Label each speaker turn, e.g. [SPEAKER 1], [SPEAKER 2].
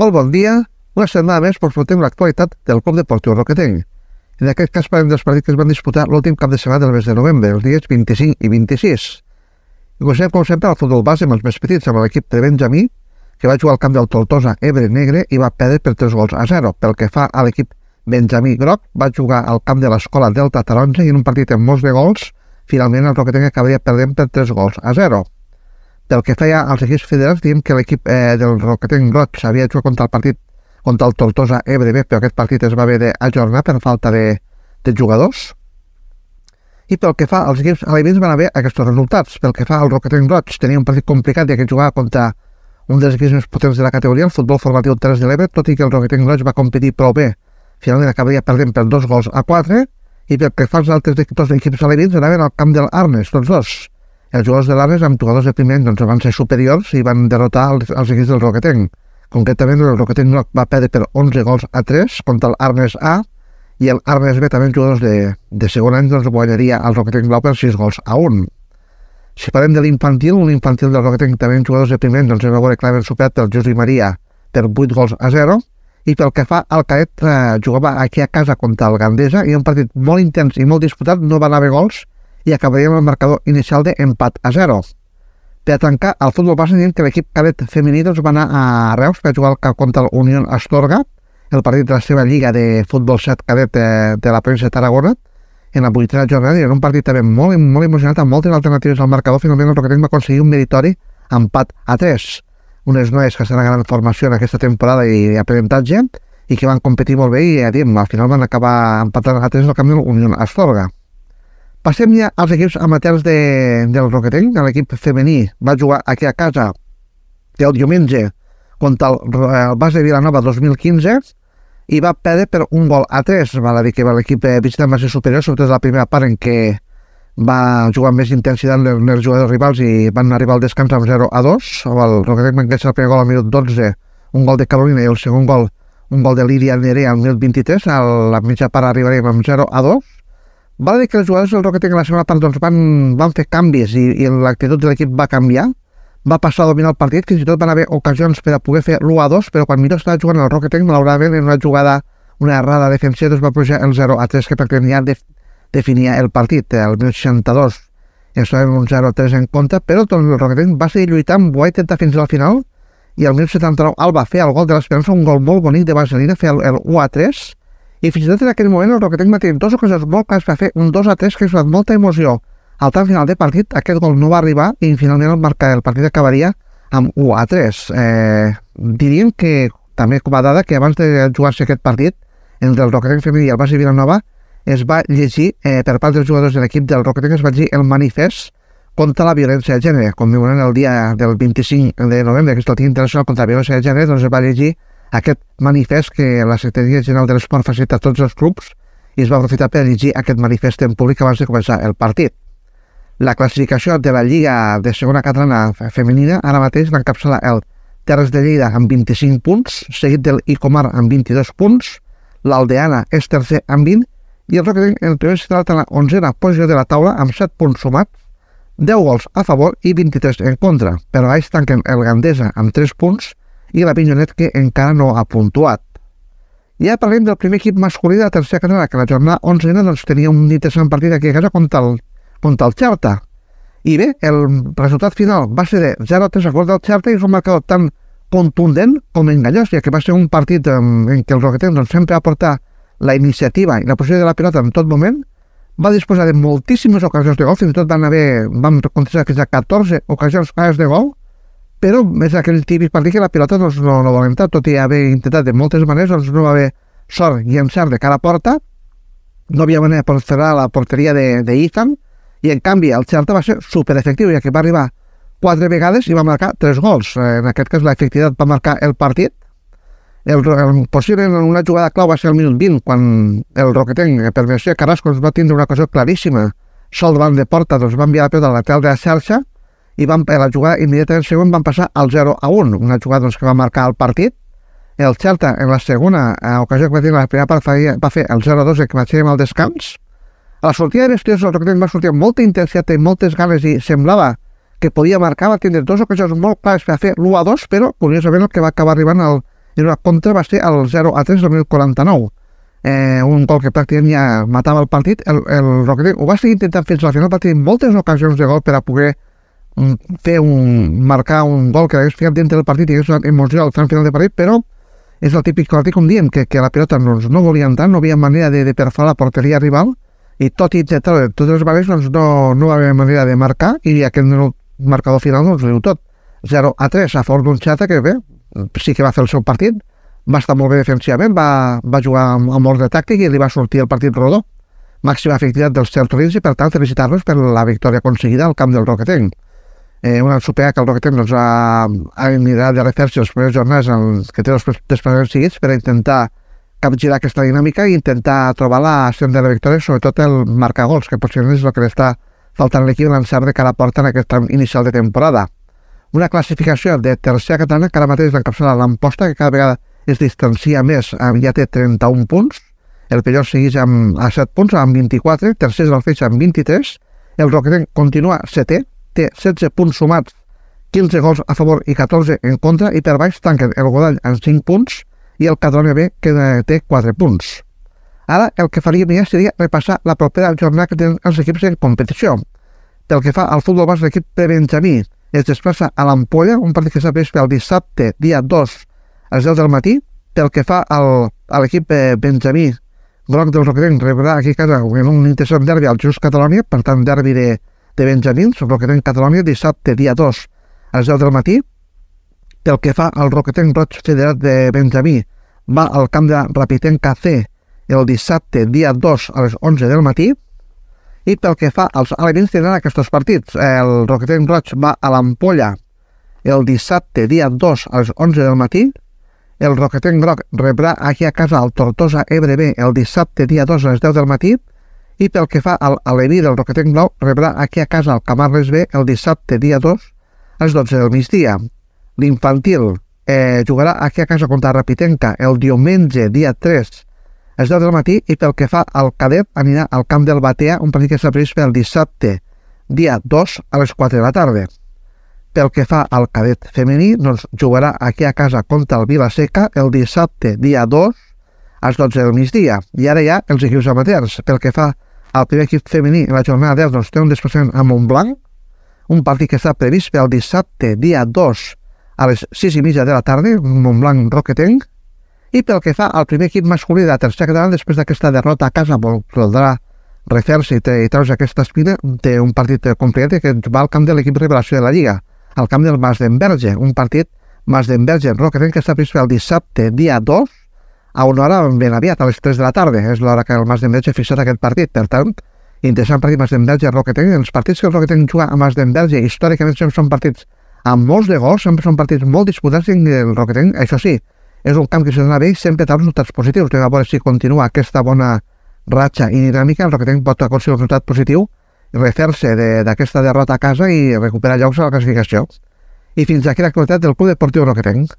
[SPEAKER 1] Molt bon dia. Una setmana més portem l'actualitat del Club Deportiu Roquetenc. En aquest cas parlem dels partits que es van disputar l'últim cap de setmana del mes de novembre, els dies 25 i 26. I comencem, com sempre, al futbol base amb els més petits, amb l'equip de Benjamí, que va jugar al camp del Tortosa Ebre Negre i va perdre per 3-0. Pel que fa a l'equip Benjamí Groc, va jugar al camp de l'Escola Delta Taronja i en un partit amb molts de gols, finalment el Roquetenc acabaria perdent per 3-0. Pel que feia als equips federals, diem que l'equip del Roquetenc Groc havia jugat contra el Tortosa Ebre B, però aquest partit es va haver d'ajornar per falta de jugadors. I pel que fa als equips alevins van haver aquests resultats. Pel que fa al Roquetenc Roig, tenia un partit complicat ja que jugava contra un dels equips més potents de la categoria, el futbol formatiu Terres de l'Ebre, tot i que el Roquetenc Roig va competir prou bé. Finalment acabaria perdent per 2-4, i pel que fa als altres dos equips alevins anaven al camp del Arnes, tots dos. Els jugadors de l'Arnes, amb jugadors de primer, doncs van ser superiors i van derrotar els equips del Roquetenc. Concretament, el Roquetenc Groc va perdre per 11-3 contra l'Arnes A, i el Arnes B, també els jugadors de segon any, doncs guanyaria el Roquetenc Blau per 6-1. Si parlem de l'infantil, un infantil del Roquetenc també amb jugadors de primer, doncs es va veure clarament superat pel Josep Maria per 8-0, i pel que fa al cadet, jugava aquí a casa contra el Gandesa, i un partit molt intens i molt disputat, no van haver gols, i acabaria amb el marcador inicial d'empat a 0. Per tancar, al futbol base diem que l'equip cadet femení doncs, va anar a Reus per jugar contra l'Unió Astorga, el partit de la seva lliga de futbol 7 cadet de la província de Tarragona, en la 8a jornada, i era un partit també molt emocionat, amb moltes alternatives al marcador. Finalment el Roquetenc va aconseguir un meritori empat a 3. Unes noies que estan a gran formació en aquesta temporada i aprenentatge, i que van competir molt bé, i al final van acabar empatant a 3 al camp de l'Unió Astorga. Passem ja als equips amateurs del Roquetenc. L'equip femení va jugar aquí a casa el diumenge contra el base Vilanova 2015 i va perdre per 1-3. Val a dir que l'equip visitant va ser superior, sobretot la primera part en què va jugar amb més intensitat els jugadors rivals i van arribar al descans amb 0-2. El Roquetenc va encaixar el primer gol al minut 12, un gol de Carolina, i el segon gol, un gol de Lídia Nerea al minut 23. A la mitja part arribaríem amb 0-2. Val a dir que els jugadors del Roquetenc la segona part doncs, van fer canvis i l'actitud de l'equip va canviar. Va passar a dominar el partit, fins i tot van haver ocasions per a poder fer l'1-2, però quan millor estava jugant el Roquetenc, malauradament, en una jugada, una errada defensiva, doncs va pujar el 0-3, que pràcticament ja definia el partit. El 1062 estava un 0-3 en compte, però doncs, el Roquetenc va seguir lluitant, va intentar fins al final, i el 1079 el va fer el gol de l'Esperança, un gol molt bonic de Vaselina, fer el 1-3, i fins i tot en aquell moment el Roquetenc va tenir dues ocasions molt clars per fer un 2-3 que ha donat molta emoció. Al tram final de partit, aquest gol no va arribar i finalment el partit acabaria amb 1-3. Diríem que, també com a dada, que abans de jugar-se aquest partit, entre el Roquetenc femení i el base Vilanova, es va llegir, per part dels jugadors de l'equip del Roquetenc, es va llegir el manifest contra la violència de gènere. Commemorant el dia del 25 de novembre, que és el Dia Internacional contra la Violència de Gènere, doncs es va llegir aquest manifest que la Secretaria General de l'Esport facilita a tots els clubs, i es va aprofitar per llegir aquest manifest en públic abans de començar el partit. La classificació de la Lliga de Segona Catalana Femenina ara mateix l'encapçala el Terres de Lleida amb 25 punts, seguit del Icomar amb 22 punts, l'Aldeana és tercer amb 20, i el Roquetenc en el primer situat a la 11a posició de la taula amb 7 punts sumats, 10 gols a favor i 23 en contra. Per baix tanquen el Gandesa amb 3 punts, i la Pinyonet, que encara no ha puntuat. Ja parlem del primer equip masculí de la tercera catalana, que la jornada 11a doncs, tenia un interessant partit aquí a casa contra el Xerta. I bé, el resultat final va ser de 0-3 a favor del Xerta, i és un marcador tan contundent com enganyós, ja que va ser un partit en què el Roquetenc doncs, sempre va portar la iniciativa i la posició de la pilota en tot moment, va disposar de moltíssimes ocasions de gol, fins i tot vam contestar fins a 14 ocasions clares de gol, però és aquell típic partit que la pilota no va entrar, tot i haver intentat de moltes maneres, doncs no va haver sort i encert de cara a porta, no havia manera de portar la porteria d'Ethan, i en canvi el Xerta va ser superefectiu, ja que va arribar 4 vegades i va marcar 3 gols. En aquest cas l'efectivitat va marcar el partit. Possible en una jugada clau va ser al minut 20, quan el Roquetenc, per Mercè Carrasco, va tindre una ocasió claríssima. Sol davant de porta, doncs va enviar la pilota al lateral de la xarxa, i la jugada immediatament següent van passar al 0-1, una jugada doncs, que va marcar el partit. El Xerta, en la segona ocasió que va tenir la primera part, va fer el 0-2 que marxaríem al descans. A la sortida de vestidors el Roquetenc va sortir amb molta intensitat i moltes ganes, i semblava que podia marcar, va tindre 2 ocasions molt clares per fer l'1-2, però curiosament el que va acabar arribant I la contra va ser el 0-3 del 1049. Un gol que pràcticament ja matava el partit. El Roquetenc ho va seguir intentant fins al final, va tenir moltes ocasions de gol per a poder marcar un gol que hagués ficat dintre del partit i hagués donat emoció al tram final de partit, però és el típic partit, com diem, que la pilota no volia entrar, no havia manera de perforar la porteria rival, i tot i intentar totes les vegades no va haver manera de marcar, i aquest marcador final ho diu tot. 0-3 a favor d'un Xata que bé, sí que va fer el seu partit, va estar molt bé defensivament, va jugar amb ordre tàctic i li va sortir el partit rodó. Màxima efectivitat dels tertolins i per tant felicitar-los per la victòria aconseguida al camp del Roquetenc. Una supera que el Roquetenc anirà de refer-se les primeres jornades que té els desplaçaments seguits per a intentar capgirar aquesta dinàmica i intentar trobar la senda de la victòria, sobretot el marcar gols, que possiblement és el que li està faltant a l'equip l'encert de cara a porta en aquest tram inicial de temporada. Una classificació de tercera catalana que ara mateix l'encapçala l'Amposta, que cada vegada es distancia més, ja té 31 punts, el Pellós segueix a 7 punts, amb 24, tercer és l'Alfeixa amb 23, el Roquetenc continua setè, té 16 punts sumats, 15 gols a favor i 14 en contra, i per baix tanquen el Godall amb 5 punts i el Catalonia B, que té 4 punts. Ara el que faríem ja seria repassar la propera jornada que tenen els equips en competició. Pel que fa al futbol base, l'equip Benjamí es desplaça a l'Ampolla, un partit que s'apreix pel dissabte, dia 2, a les 10 del matí. Pel que fa a l'equip Benjamí, Groc del Roquetenc rebrà aquí a casa en un interessant derbi al Just Catalonia, per tant derbi de Benjamins, Roquetenc Catalonia, dissabte, dia 2, a les 10 del matí. Pel que fa al Roquetenc Roig Federat de Benjamí, va al camp de Rapitenc C el dissabte, dia 2, a les 11 del matí. I pel que fa als alevins tindran aquests partits. El Roquetenc Roig va a l'Ampolla el dissabte, dia 2, a les 11 del matí. El Roquetenc Groc rebrà aquí a casa el Tortosa Ebre B el dissabte, dia 2, a les 10 del matí. I pel que fa al aleví del Roquetenc Blau, rebrà aquí a casa el Camarles B el dissabte, dia 2, a les 12 del migdia. L'infantil jugarà aquí a casa contra Rapitenca el diumenge, dia 3, a les 10 del matí, i pel que fa al cadet anirà al camp del Batea, un partit que està previst pel dissabte, dia 2, a les 4 de la tarda. Pel que fa al cadet femení, doncs jugarà aquí a casa contra el Vilaseca el dissabte, dia 2, a les 12 del migdia. I ara ja els equips amateurs. Pel que fa al primer equip femení, la jornada 10 doncs, té un desplaçament a Montblanc, un partit que està previst pel dissabte, dia 2, a les 6:30 de la tarda, Montblanc Roquetenc. I pel que fa al primer equip masculí de la tercera catalana, després d'aquesta derrota a casa, voldrà refer-se i treure aquesta espina, té un partit complicat que va al camp de l'equip revelació de la Lliga, al camp del Mas d'Enverge, un partit Mas d'Enverge Roquetenc que està previst el dissabte, dia 2, a una hora ben aviat, a les 3 de la tarda. És l'hora que el Mas d'Enverge ha fixat aquest partit. Per tant, interessant partit Mas d'Enverge Roquetenc. Els partits que el Roquetenc juga a Mas d'Enverge històricament sempre són partits amb molts de gols, sempre són partits molt disputats, i el Roquetenc, això sí, és un camp que se dona bé i sempre té resultats positius. Anem a veure si continua aquesta bona ratxa i dinàmica. El Roquetenc pot aconseguir un resultat positiu, refer-se d'aquesta derrota a casa i recuperar llocs a la classificació. I fins aquí l'actualitat del Club Deportiu Roquetenc.